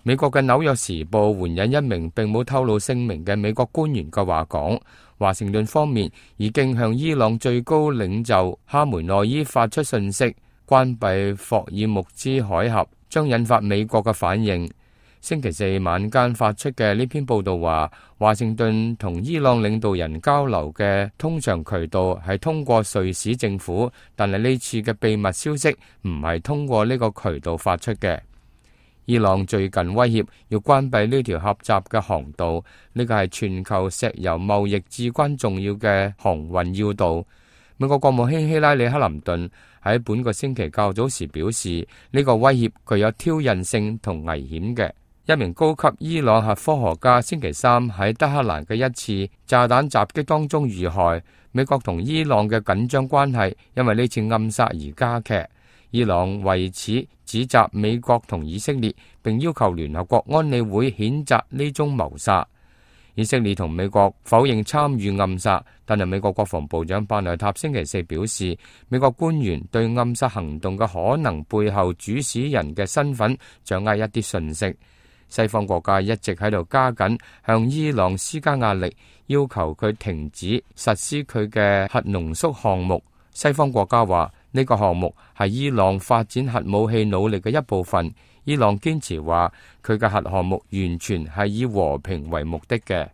美國嘅紐約時報援引一名並冇透露姓名嘅美國官員嘅話講，華盛頓方面已經向伊朗最高領袖哈梅內伊發出訊息，關閉霍爾木茲海峽將引發美國嘅反應。星期四晚間發出嘅呢篇報道話，華盛頓同伊朗領導人交流嘅通常渠道係通過瑞士政府，但係呢次嘅秘密消息唔係通過呢個渠道發出嘅。伊朗最近威脅要關閉呢條狹窄嘅航道，呢個係全球石油貿易至關重要嘅航運要道。美國國務卿希拉里克林頓喺本個星期較早時表示，呢個威脅具有挑釁性同危險嘅。一名高級伊朗核科學家星期三喺德黑蘭嘅一次炸彈襲擊當中遇害。美國同伊朗嘅緊張關係因為呢次暗殺而加劇。伊朗為此指責美國同以色列，並要求聯合國安理會譴責呢宗謀殺。以色列同美國否認參與暗殺，但係美國國防部長巴內塔星期四表示，美國官員對暗殺行動嘅可能背後主使人嘅身份掌握一啲信息。西方國家一直喺度加緊向伊朗施加壓力，要求佢停止實施佢嘅核濃縮項目。西方國家話呢個項目係伊朗發展核武器努力嘅一部分。伊朗堅持話佢嘅核項目完全係以和平為目的嘅。